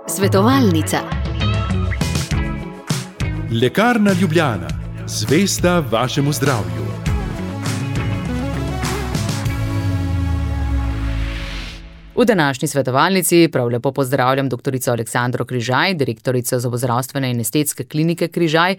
Svetovalnica. Lekarna Ljubljana, zvesta vašemu zdravju. V današnji svetovalnici prav lepo pozdravljam doktorico Aleksandro Križaj, direktorico zobozdravstvene in estetske klinike Križaj,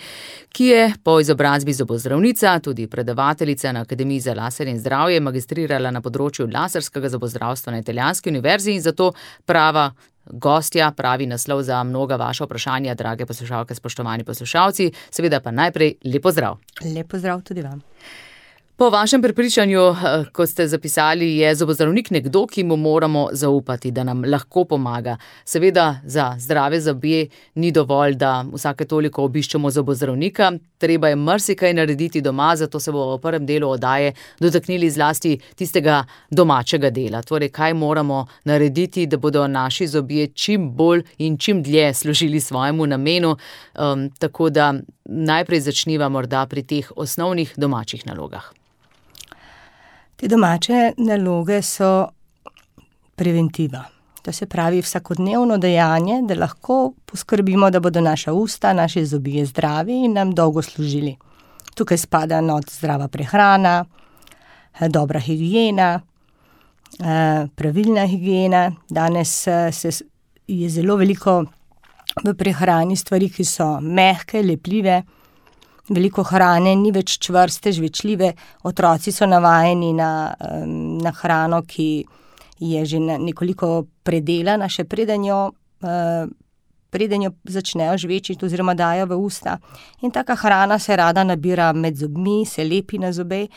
ki je po izobrazbi zobozdravnica, tudi predavateljica na Akademiji za laser in zdravje, magistrirala na področju laserskega zobozdravstva na Italijanski univerzi in zato prava gostja, pravi naslov za mnoga vaša vprašanja, drage poslušalke, spoštovani poslušalci. Seveda pa najprej lep pozdrav. Lep pozdrav tudi vam. Po vašem prepričanju, kot ste zapisali, je zobozdravnik nekdo, ki mu moramo zaupati, da nam lahko pomaga. Seveda za zdrave zobe ni dovolj, da vsake toliko obiščemo zobozdravnika. Treba je marsikaj narediti doma, zato se bomo v prvem delu oddaje dotaknili zlasti tistega domačega dela. Torej, kaj moramo narediti, da bodo naši zobje čim bolj in čim dlje služili svojemu namenu. Tako da najprej začniva morda pri teh osnovnih domačih nalogah. Te domače naloge so preventiva. To se pravi vsakodnevno dejanje, da lahko poskrbimo, da bodo naša usta, naši zobje zdravi in nam dolgo služili. Tukaj spada zdrava prehrana, dobra higiena, pravilna higiena. Danes je zelo veliko v prehrani stvari, ki so mehke, lepljive. Veliko hrane ni več čvrste, žvečljive. Otroci so navajeni na hrano, ki je že nekoliko predelana, še preden jo začnejo žvečiti oziroma dajo v usta. In taka hrana se rada nabira med zobmi, se lepi na zobe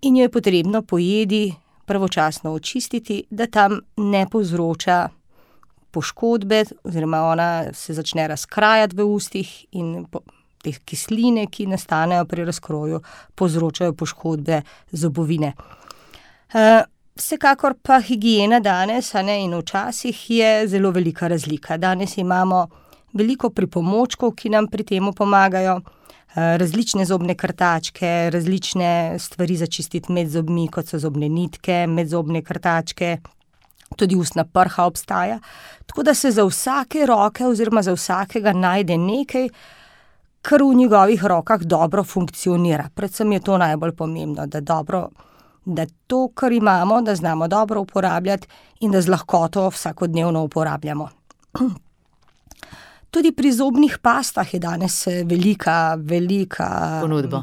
in jo je potrebno po jedi pravočasno očistiti, da tam ne povzroča poškodbe oziroma ona se začne razkrajati v ustih in te kisline, ki nastanejo pri razkroju, povzročajo poškodbe zobovine. Vsekakor pa higiena danes, in včasih je zelo velika razlika. Danes imamo veliko pripomočkov, ki nam pri temu pomagajo, različne zobne krtačke, različne stvari za čistiti med zobmi, kot so zobne nitke, medzobne krtačke, tudi ustna prha obstaja. Tako da se za vsake roke oziroma za vsakega najde nekaj, kar v njegovih rokah dobro funkcionira. Predvsem je to najbolj pomembno, da to, kar imamo, da znamo dobro uporabljati in da z lahkoto vsakodnevno uporabljamo. Tudi pri zobnih pastah je danes velika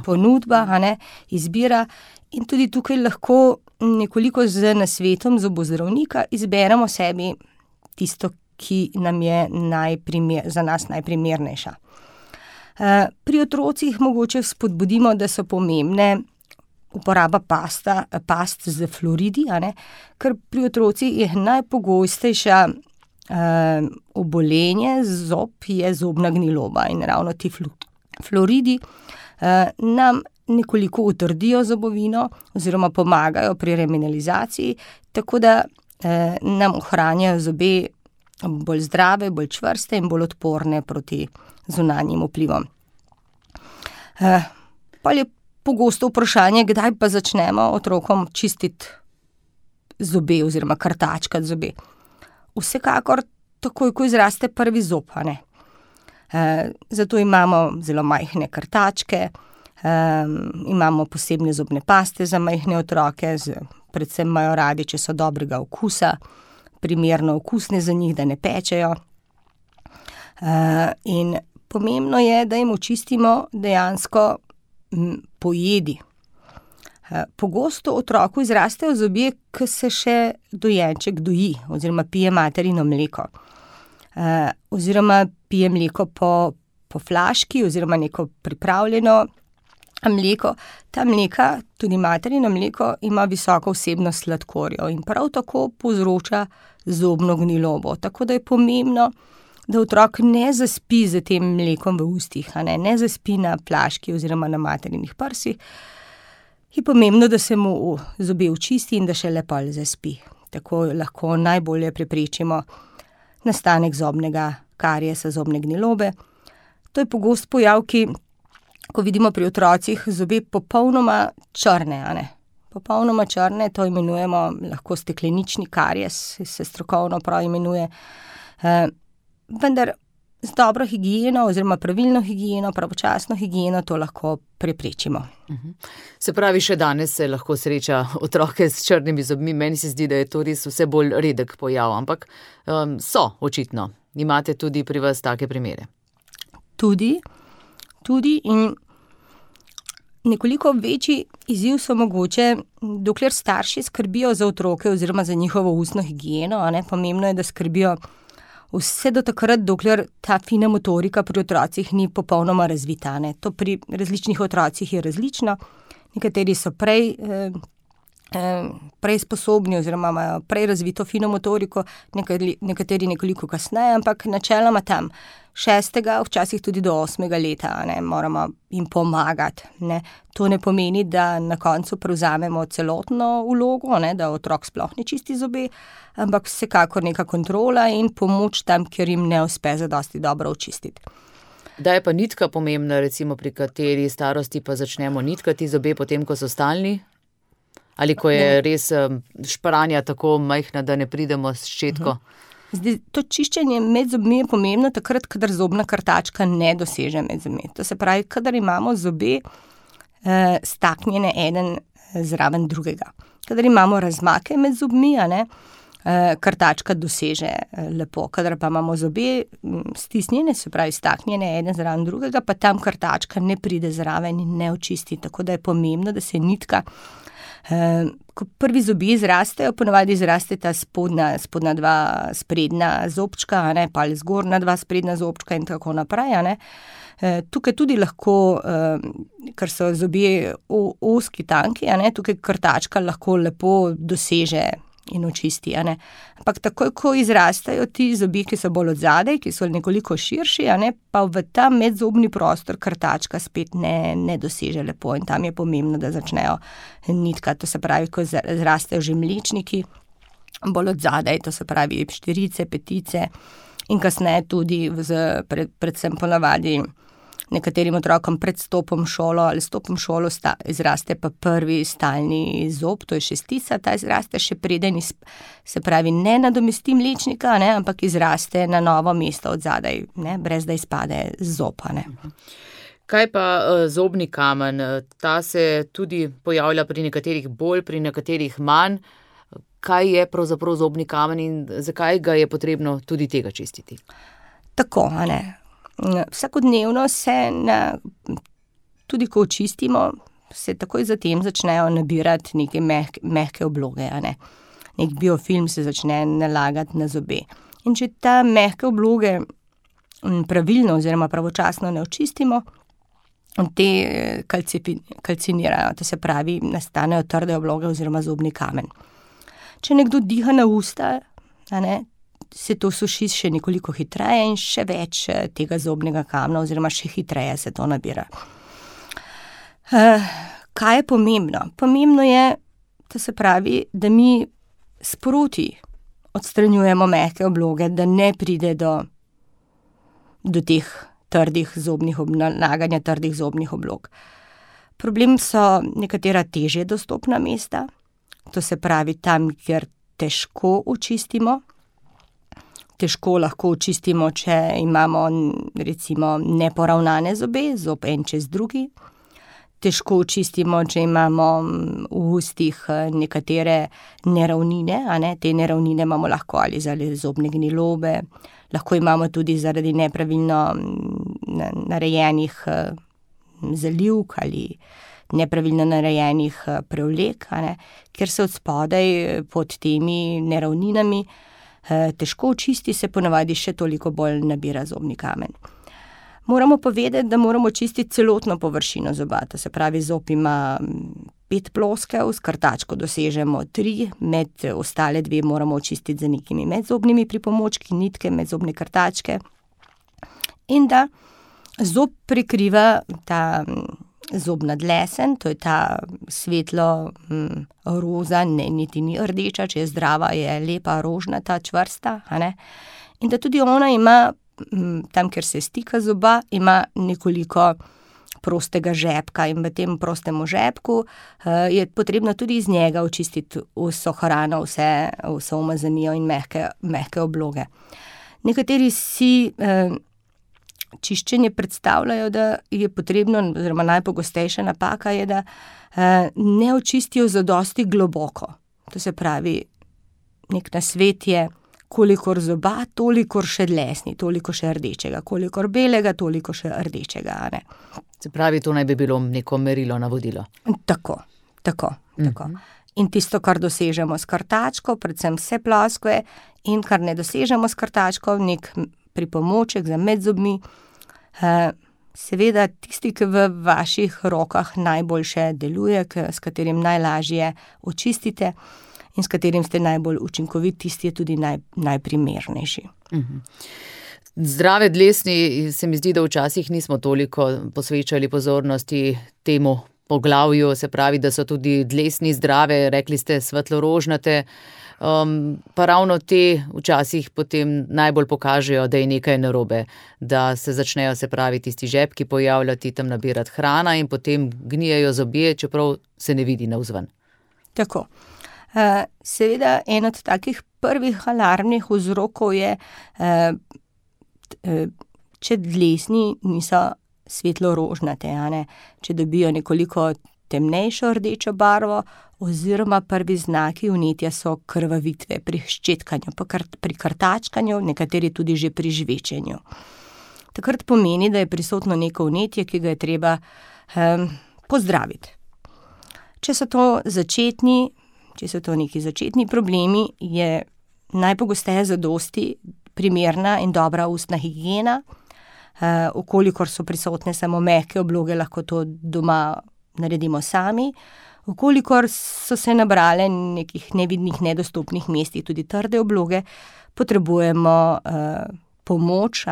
ponudba, izbira in tudi tukaj lahko nekoliko z nasvetom zobozdravnika izberemo sebi tisto, ki nam je za nas najprimernejša. Pri otrocih mogoče spodbudimo, da so pomembne uporaba past z fluoridi, ker pri otrocih je najpogostejša obolenje zob je zobna gniloba in ravno ti fluoridi nam nekoliko utrdijo zobovino oziroma pomagajo pri remineralizaciji, tako da nam ohranjajo zobe bolj zdrave, bolj čvrste in bolj odporne proti zunanjim vplivom. Pa je pogosto vprašanje, kdaj pa začnemo otrokom čistiti zobe oziroma krtačkati zobe. Vsekakor takoj, ko izraste prvi zob, Zato imamo zelo majhne krtačke, imamo posebne zobne paste za majhne otroke, predvsem imajo radi, če so dobrega okusa, primerno okusne za njih, da ne pečejo. In pomembno je, da jim očistimo dejansko po jedi. Pogosto otroku izrastejo zobje, ko se še dojenček doji oziroma pije materino mleko. Oziroma pije mleko po flaški oziroma neko pripravljeno mleko. Ta mleka, tudi materino mleko, ima visoko vsebnost sladkorjev in prav tako povzroča zobno gnilobo. Tako da je pomembno, da otrok ne zaspi z tem mlekom v ustih, ne zaspi na flaški oziroma na materinih prsih. Je pomembno, da se mu zobe očisti in da šele pol zaspi. Tako lahko najbolje preprečimo nastanek zobnega kariesa, zobne gnilobe. To je pogost pojav, ko vidimo pri otrocih zobe popolnoma črne, popolnoma črne, to imenujemo lahko steklenični karies, se strokovno prav imenuje. Vendar z dobro higieno oziroma pravilno higieno, pravočasno higieno to lahko preprečimo. Se pravi, še danes se lahko sreča otroke s črnimi zobmi. Meni se zdi, da je to res vse bolj redek pojav, ampak so očitno. Imate tudi pri vas take primere? Tudi in nekoliko večji izziv so mogoče, dokler starši skrbijo za otroke oziroma za njihovo ustno higieno, pomembno je, da skrbijo vse do takrat, dokler ta fina motorika pri otrocih ni popolnoma razvita. To pri različnih otrocih je različno. Nekateri so prej sposobni oziroma imajo prej razvito fino motoriko, nekateri nekoliko kasneje, ampak načeloma tam 6., včasih tudi do 8. leta moramo jim pomagati. To ne pomeni, da na koncu prevzamemo celotno vlogo, da otrok sploh ne čisti zobe, ampak vsekakor neka kontrola in pomoč tam, kjer jim ne uspe zadosti dobro očistiti. Da je pa nitka pomembna, recimo pri kateri starosti pa začnemo nitkati zobe potem, ko so stalni? Ali ko je res špranja tako majhna, da ne pridemo s ščetko? Zdaj, to čiščenje med zobmi je pomembno takrat, kadar zobna krtačka ne doseže med zobmi. To se pravi, kadar imamo zobe staknjene eden zraven drugega. Kadar imamo razmake med zobmi, krtačka doseže lepo. Kadar pa imamo zobe stisnjene, se pravi staknjene eden zraven drugega, pa tam krtačka ne pride zraven in ne očisti. Tako da je pomembno, da se nitka ko prvi zobje izrastejo, ponavadi izrasteta spodnja dva sprednja zobčka, pa ali zgornja dva sprednja zobčka in tako naprej. Tukaj tudi lahko, ker so zobje ozki, tanki, tukaj krtačka lahko lepo doseže in očisti. Ampak takoj, ko izrastajo ti zobje, ki so bolj odzadaj, ki so nekoliko širši, pa v ta medzobni prostor krtačka spet ne doseže lepo in tam je pomembno, da začnejo nitkati. To se pravi, ko zrastejo že mlečniki, bolj odzadaj, to se pravi štirice, petice in kasneje tudi predvsem ponavadi nekaterim otrokom pred stopom v šolo ali stopom v šolo izraste pa prvi stalni zob, to je šestica, ta izraste še preden, se pravi, ne nadomesti mlečnika, ampak izraste na novo mesto od zadaj, brez da izpade zob. Kaj pa zobni kamen? Ta se tudi pojavlja pri nekaterih bolj, pri nekaterih manj. Kaj je pravzaprav zobni kamen in zakaj ga je potrebno tudi tega čistiti? Tako, vsakodnevno se, tudi ko očistimo, se takoj zatem začnejo nabirati neke mehke obloge. Nek biofilm se začne nalagati na zobe. In če ta mehke obloge pravilno oziroma pravočasno ne očistimo, te kalcinirajo, to se pravi, nastanejo trde obloge oziroma zobni kamen. Če nekdo diha na usta, se to suši še nekoliko hitreje in še več tega zobnega kamna oziroma še hitreje se to nabira. Kaj je pomembno? Pomembno je, to se pravi, da mi sproti odstranjujemo mehke obloge, da ne pride do teh nalaganja trdih zobnih oblog. Problem so nekatera težje dostopna mesta, to se pravi tam, kjer težko očistimo. Težko lahko očistimo, če imamo recimo neporavnane zobe, zob en čez drugi. Težko očistimo, če imamo v ustih nekatere neravnine, te neravnine imamo lahko ali zaradi zobne gnilobe, lahko imamo tudi zaradi nepravilno narejenih zalivk ali nepravilno narejenih prevlek, ker se od spodaj pod temi neravninami težko očisti, se ponavadi še toliko bolj nabira zobni kamen. Moramo povedati, da moramo čistiti celotno površino zoba, to se pravi, zob ima 5 ploskev, s krtačko dosežemo 3, med ostale 2 moramo očistiti z nekimi medzobnimi pripomočki, nitke, medzobne krtačke. In da zob prekriva ta zobna dlesen, to je ta svetlo roza, niti ni rdeča, če je zdrava, je lepa, rožnata, čvrsta. In da tudi ona ima, tam, kjer se stika zoba, ima nekoliko prostega žepka in v tem prostemu žepku je potrebno tudi iz njega očistiti vso hrano, vso umazanijo in mehke obloge. Nekateri si čiščenje predstavljajo, da je potrebno, oziroma najpogostejša napaka je, da ne očistijo zadosti globoko. To se pravi, nek nasvet je, kolikor zoba, tolikor še dlesni, toliko še rdečega, kolikor belega, toliko še rdečega, a ne. Se pravi, to naj bi bilo neko merilo, navodilo. Tako. In tisto, kar dosežemo s krtačko, predvsem vse ploskve, in kar ne dosežemo s krtačko, nek pripomoček za med zobmi, seveda tisti, ki v vaših rokah najboljše deluje, s katerim najlažje očistite in s katerim ste najbolj učinkoviti, tisti je tudi najprimernejši. Zdrave dlesni, se mi zdi, da včasih nismo toliko posvečali pozornosti temu poglavju, se pravi, da so tudi dlesni zdrave, rekli ste svetlorožnate, pa ravno te včasih potem najbolj pokažejo, da je nekaj narobe, da se začnejo, se pravi, tisti žepki pojavljati, tam nabirati hrana in potem gnijejo zobje, čeprav se ne vidi navzven. Tako. Seveda, en od takih prvih alarmnih vzrokov je, če dlesni niso svetlorožnate, če dobijo nekoliko temnejšo rdečo barvo, oziroma prvi znaki vnetja so krvavitve pri ščetkanju, pri krtačkanju, nekateri tudi že pri žvečenju. Takrat pomeni, da je prisotno neko vnetje, ki ga je treba pozdraviti. Če so to neki začetni problemi, je najpogosteje zadosti primerna in dobra ustna higiena. Vkolikor so prisotne samo mehke obloge, lahko to doma naredimo sami. Vkolikor so se nabrale nekih nevidnih, nedostopnih mestih tudi trde obloge, potrebujemo pomoč,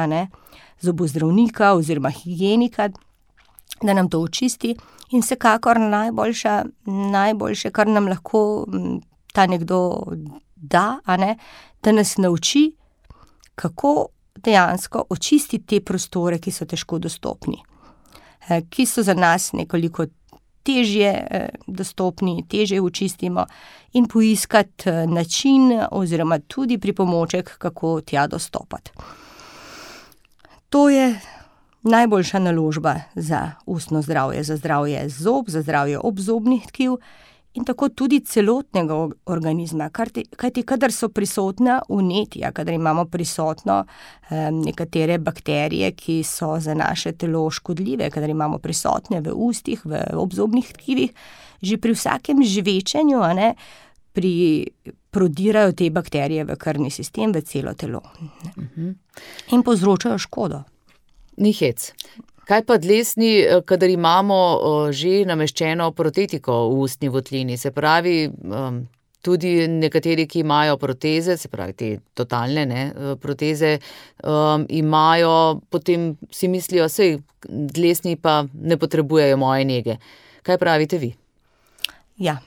zobozdravnika oziroma higienika, da nam to očisti. In vsekakor najboljše, kar nam lahko ta nekdo da, da nas nauči, kako dejansko očistiti te prostore, ki so težko dostopni, ki so za nas nekoliko težje dostopni, težje očistimo, in poiskati način oziroma tudi pripomoček, kako tja dostopati. To je najboljša naložba za ustno zdravje, za zdravje zob, za zdravje obzobnih tkiv in tako tudi celotnega organizma, kajti kadar so prisotna vnetja, kadar imamo prisotno nekatere bakterije, ki so za naše telo škodljive, kadar imamo prisotne v ustih, v obzobnih tkivih, že pri vsakem žvečenju prodirajo te bakterije v krvni sistem, v celo telo. In povzročajo škodo. Ni hec. Kaj pa dlesni, kadar imamo že nameščeno protetiko v ustni votlini, se pravi, tudi nekateri, ki imajo proteze, se pravi te totalne proteze, imajo, potem si mislijo, sej dlesni pa ne potrebujejo moje nege. Kaj pravite vi? Ja,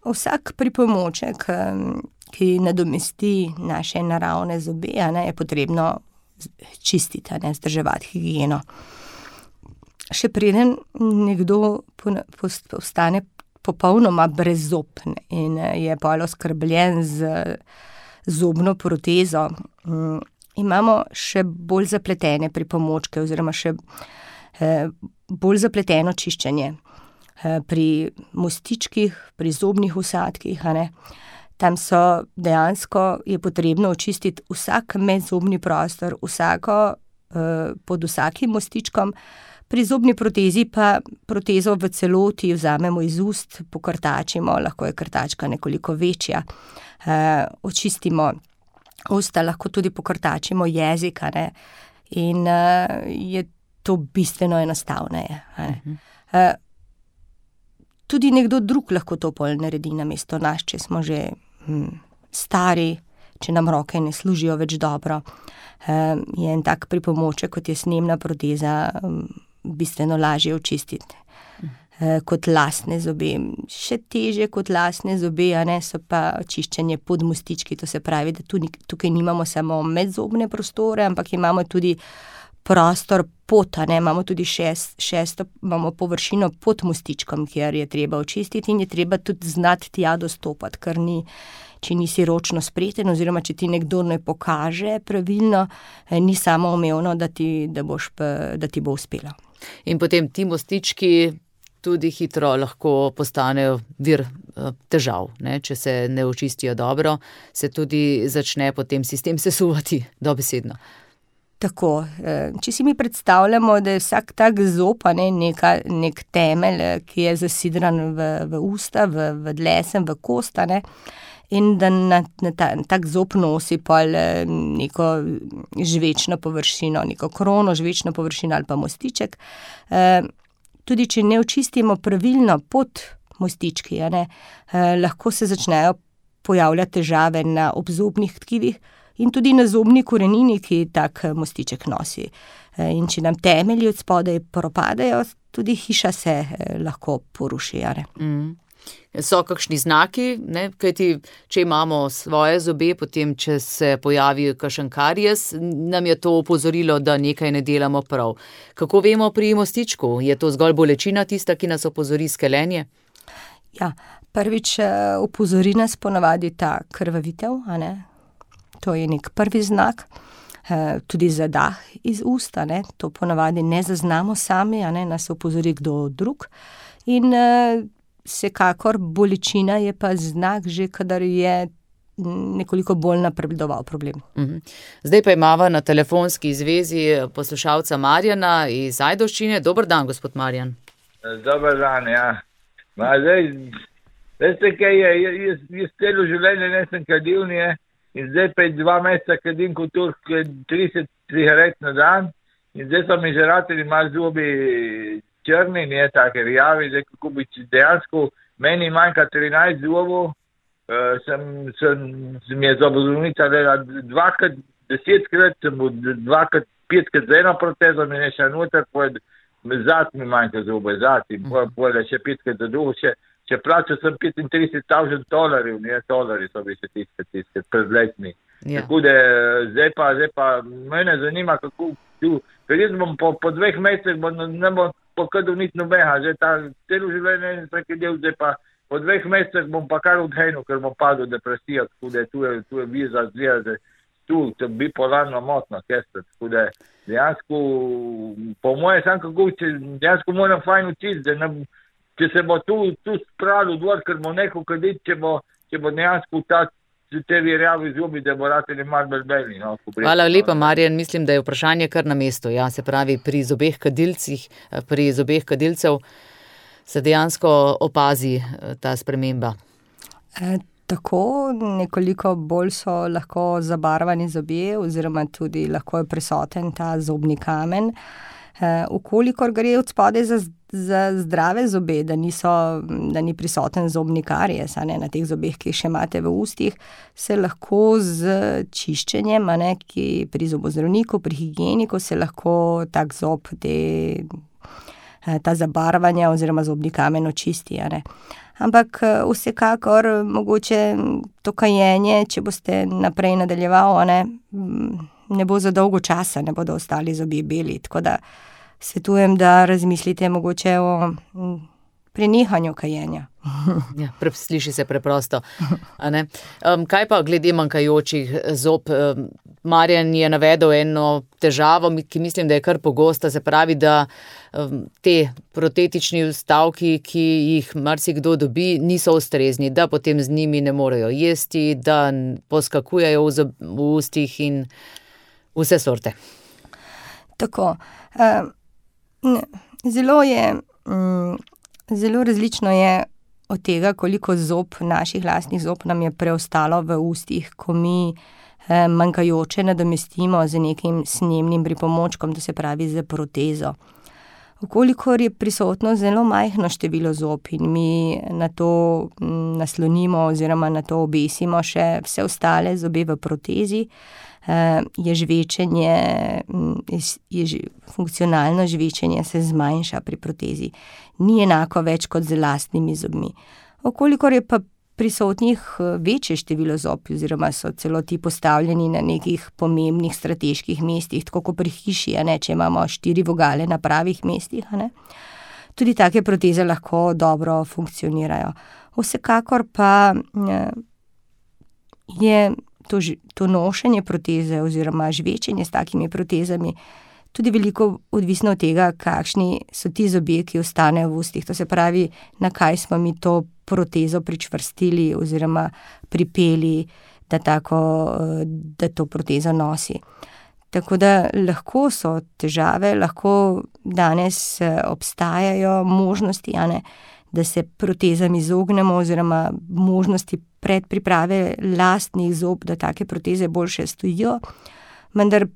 vsak pripomoček, ki nadomesti naše naravne zobe, je potrebno čistiti, vzdrževati higieno. Še preden nekdo postane popolnoma brezzob in je bolj oskrbljen z zobno protezo, imamo še bolj zapletene pripomočke oziroma še bolj zapleteno čiščenje pri mostičkih, pri zobnih vsadkih, Tam so dejansko je potrebno očistiti vsak medzobni prostor, pod vsakim mostičkom. Pri zobni protezi pa protezo v celoti vzamemo iz ust, pokrtačimo, lahko je krtačka nekoliko večja, očistimo usta, lahko tudi pokrtačimo jezik, in je to bistveno enostavneje. Tudi nekdo drug lahko to pol naredi namesto nas, če smo že stari, če nam roke ne služijo več dobro. Je en tak pripomoček, kot je snemna proteza, bistveno lažje očistiti kot lastne zobe. Še težje kot lastne zobe, so pa čiščenje pod mostički, to se pravi, da tukaj nimamo samo medzobne prostore, ampak imamo tudi prostor pod, imamo tudi šesto imamo površino pod mostičkom, kjer je treba očistiti in je treba tudi znati tja dostopati, ker ni, če nisi ročno spreten oziroma če ti nekdo ne pokaže pravilno, ni samoumevno, da ti bo uspelo. In potem ti mostički tudi hitro lahko postanejo vir težav, ne? Če se ne očistijo dobro, se tudi začne potem sistem sesuvati dobesedno. Tako, če si mi predstavljamo, da je vsak tak zob, nek temelj, ki je zasidran v usta, v dlesem, v kost, in da na tak zob nosi pol neko žvečno površino, neko krono, žvečno površino ali pa mostiček. Tudi če ne očistimo pravilno pod mostički, lahko se začnejo pojavljati težave na obzobnih tkivih in tudi na zobni korenini, ki tak mostiček nosi. In če nam temelji od spodaj propadajo, tudi hiša se lahko poruši. So kakšni znaki, ne? Kajti, če imamo svoje zobe, potem, če se pojavi kakšen karies, nam je to opozorilo, da nekaj ne delamo prav. Kako vemo pri mostičku? Je to zgolj bolečina tista, ki nas opozori skelenje? Ja, prvič opozori nas ponavadi ta krvavitev, To je nek prvi znak, tudi zadah iz usta, To ponavadi ne zaznamo sami, nas opozori kdo drug. In vsekakor bolečina je pa znak že, kadar je nekoliko bolj napredoval problem. Zdaj pa imava na telefonski zvezi poslušalca Marjana iz Ajdovščine. Dober dan, gospod Marjan. Dober dan, ja. Zdaj, veste kaj je, jaz celo življenje nisem kadil, in zdaj pa 2 meseca kadim kot Turk 30 cigaret na dan, in zdaj so mi že rateli malo zobi črni, take rjavi, zdaj kako bi dejansko, meni manjka 13 zobov, mi je zobozdravnica dela 10krat, sem bil 5krat z eno protezo, mi ne še noter, zad mi manjka zobe, in pojde še 5krat za drugo, če plačal sem $35,000, $dolari so bi še tiskati pred letmi. Ja. Tako da zdaj pa mene zanima, kako tu, ker jaz bom po 2 mesecih ne bom pokadil nič nobeha, zdaj ta celo življenje in vsaki del, zdaj pa po 2 mesecih bom pa kar odhenil, ker bom padel depresijo, tako da tu je viza zgleda, tu bipolarno motno, tako da dejansko, po moje sam kako, dejansko moram fajn učiti, da ne če se bo tu spravil dvor, ker bo neko kaditi, če bo dejansko te rjavi zobi, da bo rateli malo belbeli. Hvala lepa, Marjan. Mislim, da je vprašanje kar na mestu. Ja, se pravi, pri zobeh kadilcev se dejansko opazi ta sprememba. Tako, nekoliko bolj so lahko zabarvani zobje oziroma tudi lahko je prisoten ta zobni kamen. Ukolikor gre od spodaj za zdrave zobe, da ni prisoten zobni karies, na teh zobeh, ki jih še imate v ustih, se lahko z čiščenjem, ki pri zobozdravniku, pri higieniku se lahko tak zob, ta zabarvanja oziroma zobni kamen očisti. Ampak vsekakor mogoče to kajenje, če boste naprej nadaljevali, ne bo za dolgo časa, ne bodo ostali zobje beli, tako da svetujem, da razmislite mogoče o prenehanju kajenja. Ja, sliši se preprosto. Kaj pa glede manjkajočih zob? Marjan je navedel eno težavo, ki mislim, da je kar pogosta, se pravi, da te protetični vstavki, ki jih marsikdo dobi, niso ustrezni, da potem z njimi ne morejo jesti, da poskakujejo v ustih in vse sorte. Tako, zelo različno je od tega, koliko naših lastnih zob nam je preostalo v ustih, ko mi manjkajoče nadomestimo z nekim snemnim pripomočkom, to se pravi z protezo. Vkolikor je prisotno zelo majhno število zob in mi na to naslonimo oziroma na to obesimo še vse ostale zobe v protezi, je žvečenje, funkcionalno žvečenje se zmanjša pri protezi. Ni enako več kot z lastnimi zobmi. Vkolikor je pa prisotnih večje število zob, oziroma so celo ti postavljeni na nekih pomembnih strateških mestih, tako kot pri hiši, če imamo 4 vogale na pravih mestih. Tudi take proteze lahko dobro funkcionirajo. Vsekakor pa je to nošenje proteze oziroma žvečenje s takimi protezami tudi veliko odvisno od tega, kakšni so ti zobje, ki ostanejo v ustih. To se pravi, na kaj smo mi to protezo pričvrstili oziroma pripeli, da to protezo nosi. Tako da lahko so težave, lahko danes obstajajo možnosti, da se protezam izognemo oziroma možnosti predpriprave lastnih zob, da take proteze boljše stojijo, vendar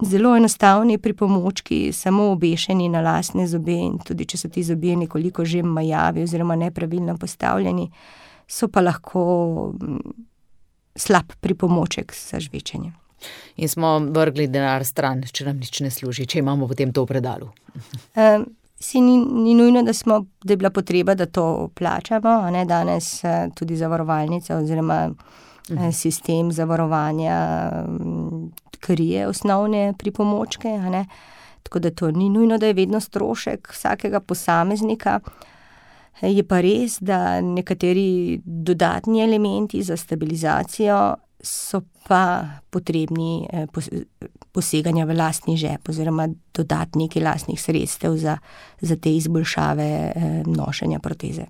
zelo enostavni pripomočki, samo obešeni na lastne zobe, in tudi če so ti zobje nekoliko že majavi oziroma nepravilno postavljeni, so pa lahko slab pripomoček za žvečenje. In smo vrgli denar stran, če nam nič ne služi, če imamo potem to v predalu. Ni nujno, da je bila potreba, da to plačamo, danes tudi zavarovalnica oziroma sistem zavarovanja krije osnovne pripomočke, tako da to ni nujno, da je vedno strošek vsakega posameznika. Je pa res, da nekateri dodatni elementi za stabilizacijo so pa potrebni poseganja v lastni žep oziroma dodati nekaj lastnih sredstev za te izboljšave nošenja proteze.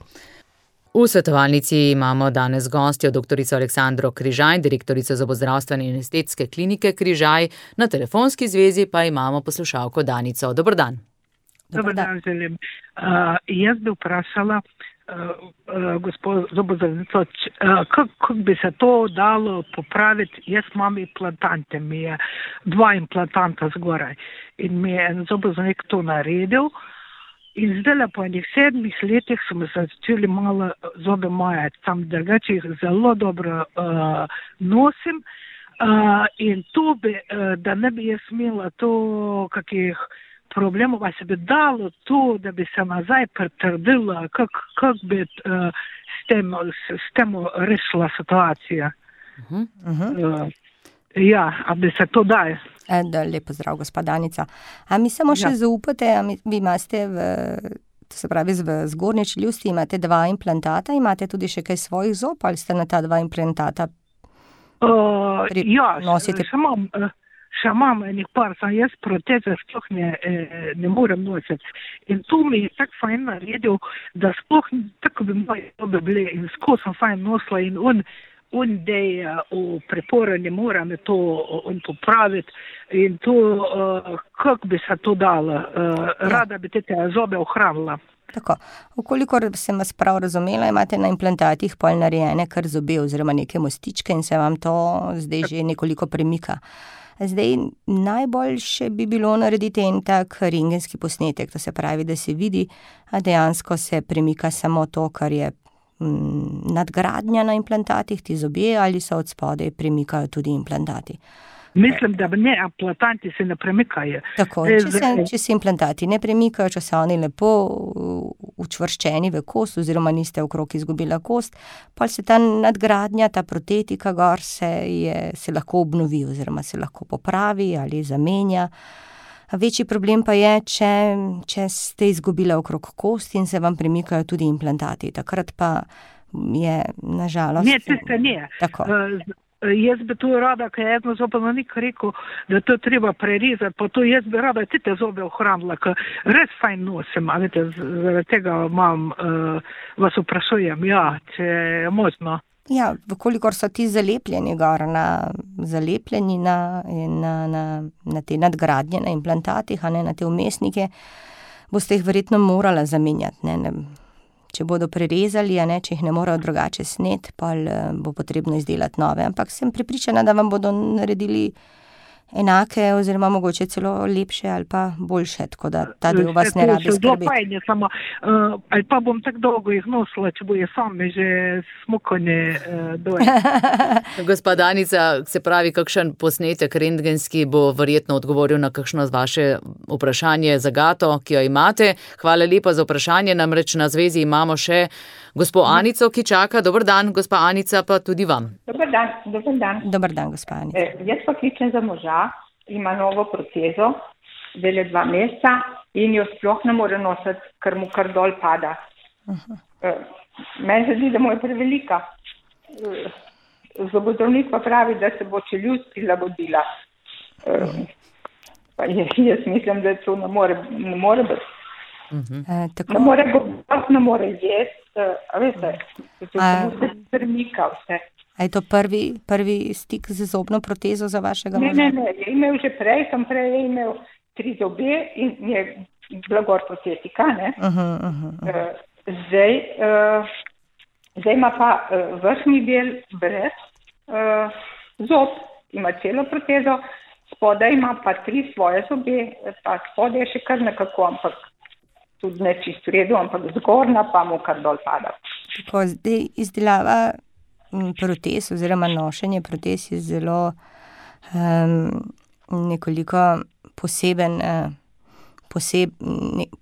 V svetovalnici imamo danes gostjo doktorico Aleksandro Križaj, direktorico zobozdravstvene in estetske klinike Križaj, na telefonski zvezi pa imamo poslušalko Danico. Dober dan. Dober dan želim. Jaz bi vprašala gospod zobozdravnico, kako bi se to dalo popraviti. Jaz imam implantante, mi je 2 implantanta zgoraj in mi je en zobozdravnik to naredil. In zdaj po enih 7 letih smo začeli malo zobe majati, tam drugače jih zelo dobro nosim in to bi, da ne bi jaz imela to kakih problemov, pa se bi dalo to, da bi se nazaj pretrdila, kako bi s tem rešila situacija. Ja, a bi se to daje. Lepo zdrav, gospa Danica. A mi samo še zaupate, vi imate v zgornji čeljusti imate 2 implantata, imate tudi še kaj svojih zob, ali ste na ta 2 implantata nosite? Še imam enih par, sem jaz proteze sploh ne morem nositi. In tu mi je tako fajn naredil, da sploh tako bi moje zobe bile in skozi sem fajn nosila in on dej v preporu ne mora me to popraviti in to, kako bi se to dalo. Rada bi te zobe ohranila. Tako, okolikor sem vas prav razumela, imate na implantatih pol narejene kar zobe oziroma neke mostičke in se vam to zdaj že nekoliko premika. Zdaj, najboljše bi bilo narediti en tak rentgenski posnetek, to se pravi, da se vidi, a dejansko se premika samo to, kar je nadgradnja na implantatih, ti zobje, ali se od spodaj premikajo tudi implantati. Mislim, da ne, implantanti se ne premikajo. Tako, če se implantati ne premikajo, če so oni lepo učvrščeni v kost oziroma niste okrog izgubila kost, pa se ta nadgradnja, ta protetika gor se lahko obnovi oziroma se lahko popravi ali zamenja. Večji problem pa je, če ste izgubila okrog kost in se vam premikajo tudi implantati. Takrat pa je nažalost... Ne, tiste ne. Tako. Jaz bi to rada, ker je eno zobozdravnik rekel, da to treba prerezati, pa to jaz bi rada te zobe ohranila, ker res fajn nosim, a vete, zaradi tega vas vprašujem, če je možno. Ja, vkolikor so ti zalepljeni gor, zalepljeni na te nadgradnje, na implantatih, na te vmesnike, boste jih verjetno morala zamenjati, Če bodo prerezali, če jih ne morejo drugače sneti, pa bo potrebno izdelati nove. Ampak sem prepričana, da vam bodo naredili enake oziroma mogoče celo lepše ali pa boljše, tako da ta del vas ne rabi skrbeti. Ali pa bom tako dolgo jih nosila, če bojo same že smukanje dole. Gospa Danica, se pravi, kakšen posnetek rentgenski bo verjetno odgovoril na kakšno vaše vprašanje, zagato, ki jo imate. Hvala lepa za vprašanje, namreč na zvezi imamo še Gospo Anico, ki čaka. Dober dan, gospa Anica, pa tudi vam. Dober dan. Dober dan, gospa Anica. Jaz pa kličem za moža, ima novo protezo, dele 2 meseca in jo sploh ne more nositi, ker mu kar dol pada. Meni se zdi, da mu je prevelika. Zobozdravnik pa pravi, da se bo čeljust prilagodila. Pa jaz mislim, da to ne more biti. Ne more govoriti, ne more jesti, veste, to se premika vse. A je to prvi stik z zobno protezo za vašega moža? Ne, je imel že prej, je imel 3 zobe in je blagor protetika, ne. Zdaj ima pa vrhnji del brez zob, ima celo protezo, spodaj ima pa 3 svoje zobe, pa spodaj je še kar nekako, ampak tudi ne čisto v redu, ampak zgornja pa mu kar dol pada. Tako, zdaj izdelava protez oziroma nošenje protez je zelo nekoliko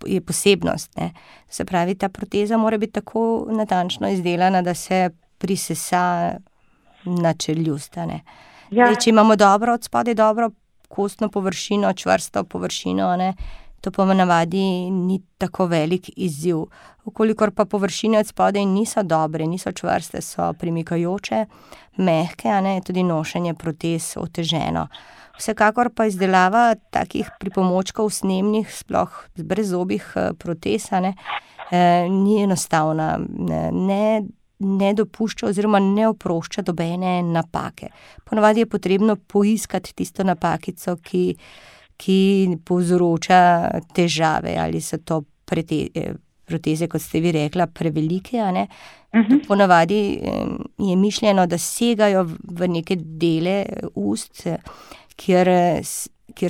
je posebnost. Ne. Se pravi, ta proteza mora biti tako natančno izdelana, da se prisesa na čeljust. Ne. Zdaj, če imamo od spodaj dobro kostno površino, čvrsto površino, ne, to pa v navadi ni tako velik izziv. Vkolikor pa površine od spodaj niso dobre, niso čvrste, so premikajoče, mehke, ne, je tudi nošenje protez oteženo. Vsekakor pa izdelava takih pripomočkov snemnih, sploh brezzobih protez, ni enostavna, ne dopušča oziroma ne oprošča dobene napake. Ponavadi je potrebno poiskati tisto napakico, ki povzroča težave, ali so to proteze, kot ste vi rekla, prevelike, a ne. Ponavadi je mišljeno, da segajo v neke dele ust, kjer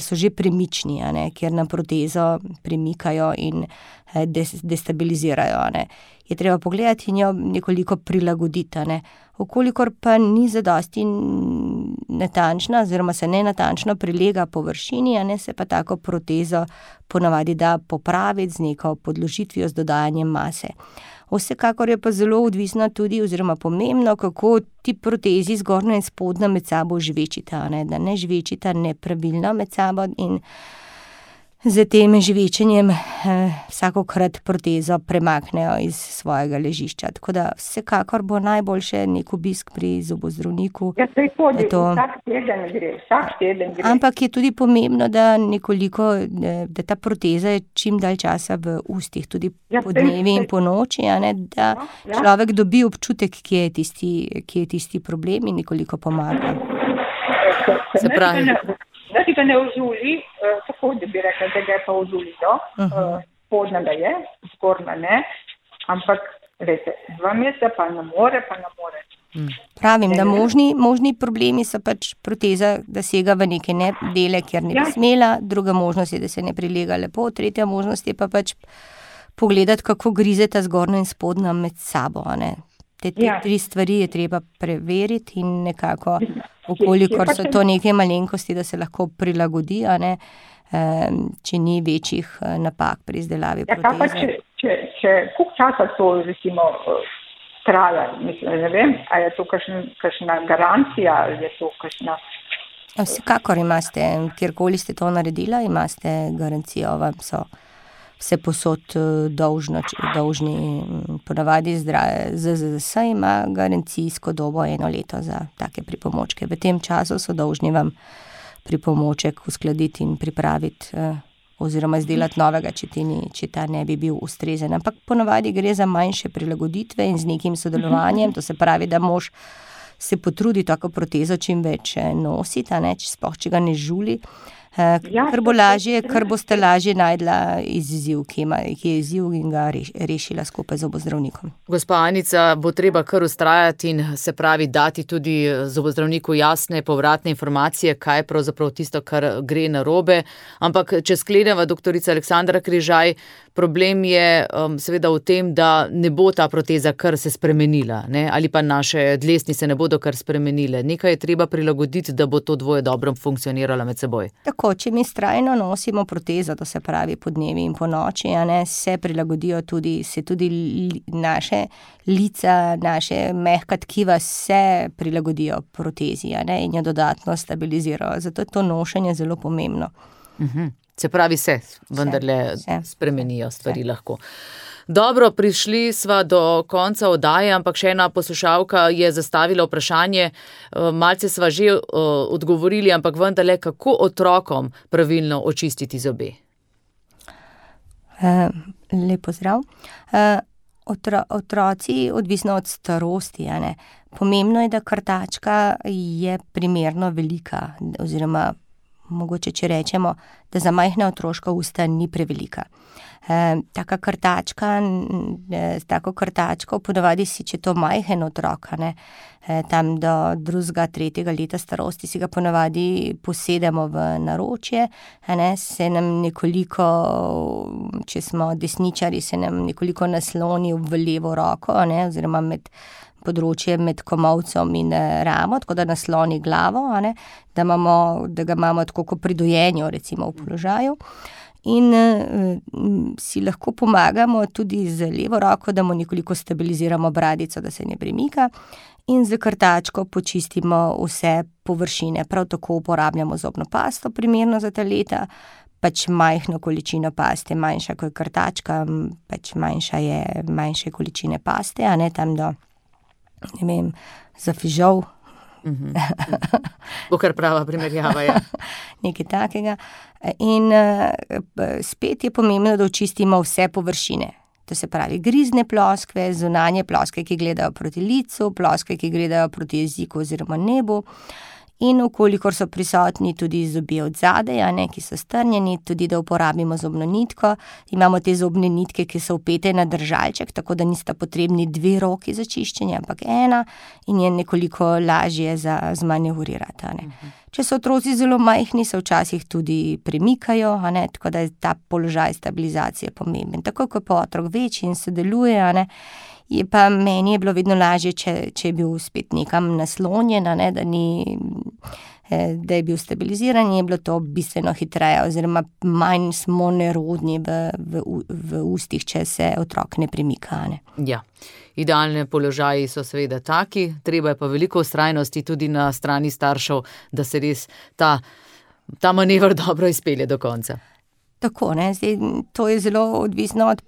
so že premični, a ne, kjer na protezo premikajo in destabilizirajo, a ne. Je treba pogledati in jo nekoliko prilagoditi, a ne. Vkolikor pa ni zadosti natančna oziroma se nenatančno prilega površini, a ne, se pa tako protezo ponavadi da popraviti z neko podložitvijo, z dodajanjem mase. Vsekakor je pa zelo odvisno tudi oziroma pomembno, kako ti protezi zgornja in spodnja med sabo žvečita, a ne, da ne žvečita nepravilno med sabo in z tem žvečenjem vsakokrat protezo premaknejo iz svojega ležišča. Tako da vsekakor bo najboljše nek obisk pri zobozdravniku. Ja, se hodi, vsak teden gre. Ampak je tudi pomembno, da ta proteza je čim dalj časa v ustih, tudi po dnevi in po noči, a ne, da človek dobi občutek, kje je tisti problem in nekoliko pomaga. Se pravi. Da ti ga ne ožuli, tako da bi rekla, da ga je pa ožulilo, spodnja ga je, zgornja ne, ampak veste, 2 meseca pa ne more. Pravim, da možni problemi so pač proteza, da sega v neke dele, kjer ne bi smela, druga možnost je, da se ne prilega lepo, tretja možnost je pa pač pogledati, kako grizeta zgornja in spodnja med sabo, a ne. Te 3 stvari je treba preveriti in nekako, okolikor so to neke malenkosti, da se lahko prilagodi, a ne, če ni večjih napak pri izdelavi proteze. Če koliko časa to recimo traja, mislim, ne vem, a je to kakšna garancija ali je to kakšna... Vsekakor imate, kjerkoli ste to naredila, imate garancijo, vam so vse posod dolžni. Ponavadi ZZZS ima garancijsko dobo 1 leto za take pripomočke. V tem času so dolžni vam pripomoček uskladiti in pripraviti oziroma izdelati novega, če ta ne bi bil ustrezen. Ampak ponavadi gre za manjše prilagoditve in z nekim sodelovanjem, to se pravi, da mož se potrudi tako protezo čim več nositi, a ne, če ga ne žuli. Kar bo lažje, kar boste lažje najdla izziv, ki je izziv in ga rešila skupaj z zobozdravnikom. Gospa Anica, bo treba kar vztrajati in se pravi dati tudi zobozdravniku jasne povratne informacije, kaj je pravzaprav tisto, kar gre narobe. Ampak če skleneva doktorica Aleksandra Križaj, problem je seveda v tem, da ne bo ta proteza kar se spremenila, ne? Ali pa naše dlesnice ne bodo kar spremenile. Nekaj je treba prilagoditi, da bo to dvoje dobro funkcioniralo med seboj. Tako, tako, če mi strajno nosimo protezo, to se pravi po dnevi in po noči, se prilagodijo tudi naše lica, naše mehka tkiva se prilagodijo protezi, in jo dodatno stabilizirajo. Zato je to nošenje zelo pomembno. Se pravi, vendarle spremenijo stvari lahko. Dobro, prišli sva do konca oddaje, ampak še ena poslušalka je zastavila vprašanje, malce sva že odgovorili, ampak vendarle, kako otrokom pravilno očistiti zobe? Lep pozdrav. Otroci, odvisno od starosti, pomembno je, da krtačka je primerno velika, oziroma mogoče, če rečemo, da za majhna otroška usta ni prevelika. Tako krtačko, ponavadi si, če to majhen otrok, tam do 2., 3. leta starosti, si ga ponavadi posedemo v naročje, se nam nekoliko, če smo desničari, se nam nekoliko nasloni v levo roko, oziroma področje med komolcem in ramo, tako da nasloni glavo, da ga imamo tako kot pri dojenju, recimo v položaju. In si lahko pomagamo tudi z levo roko, da mu nekoliko stabiliziramo bradico, da se ne premika, in z krtačko počistimo vse površine. Prav tako uporabljamo zobno pasto, primerno za ta leta, pač majhno količino paste, manjša kot krtačka, pač manjše količine paste, tam do, za fižol. Bo kar prava primerjava, ja. Nekaj takega. In spet je pomembno, da očistimo vse površine. To se pravi grizne ploskve, zunanje ploskve, ki gledajo proti licu, ploskve, ki gledajo proti jeziku oziroma nebu. In vkolikor so prisotni tudi zobje od zadaj, ki so strnjeni, tudi da uporabimo zobno nitko. Imamo te zobne nitke, ki so vpete na držalček, tako da nista potrebni 2 roki za čiščenje, ampak 1, in je nekoliko lažje za zmanevrirati. Če so otroci zelo majhni, se včasih tudi premikajo, tako da je ta položaj stabilizacije pomemben. Tako kot pa otrok večji in sodeluje, je pa meni je bilo vedno lažje, če je bil spet nekam naslonjen, da je bil stabiliziran, je bilo to bistveno hitreje, oziroma manj smo nerodni v ustih, če se otrok ne premika. Ja, idealne položaji so seveda taki, treba je pa veliko vztrajnosti tudi na strani staršev, da se res ta manever dobro izpelje do konca. Tako, zdaj, to je zelo odvisno od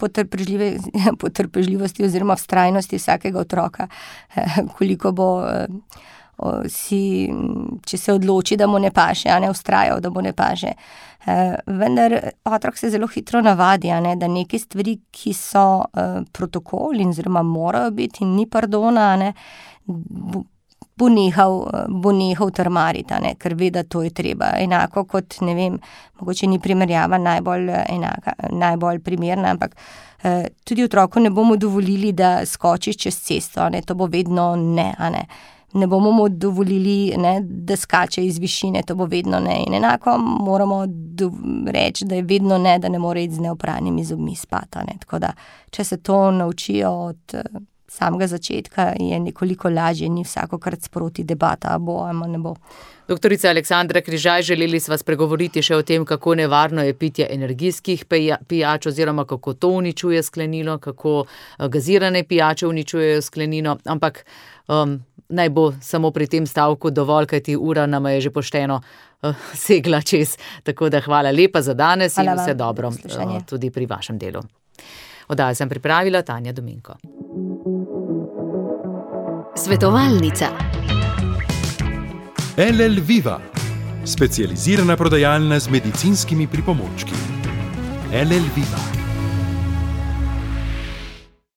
potrpežljivosti oziroma vztrajnosti vsakega otroka, koliko bo če se odloči, da mu ne paše, vztrajal, da mu ne paše. Vendar otrok se zelo hitro navadi, da neke stvari, ki so protokol in oziroma morajo biti in ni pardona, bo nehal trmariti, ker ve, da to je treba. Enako kot, mogoče ni primerjava najbolj primerna, ampak tudi otroku ne bomo dovolili, da skoči čez cesto, to bo vedno ne. Ne bomo mu dovolili, da skače iz višine, to bo vedno ne. In enako moramo reči, da je vedno ne, da ne more iti z neopranimi zobmi spati. Tako da, če se to naučijo od samega začetka, je nekoliko lažje, ni vsakokrat sproti debata, bo ali ne bo. Doktorica Aleksandra Križaj, želeli sva spregovoriti še o tem, kako nevarno je pitje energijskih pijač oziroma kako to uničuje sklenino, kako gazirane pijače uničujejo sklenino, ampak naj bo samo pri tem stavku dovolj, kajti ura nama je že pošteno segla čez. Tako da hvala lepa za danes in vse dobro tudi pri vašem delu. Oddajo sem pripravila Tanja Dominko. Svetovalnica. LL Viva, specializirana prodajalna z medicinskimi pripomočki. LL Viva.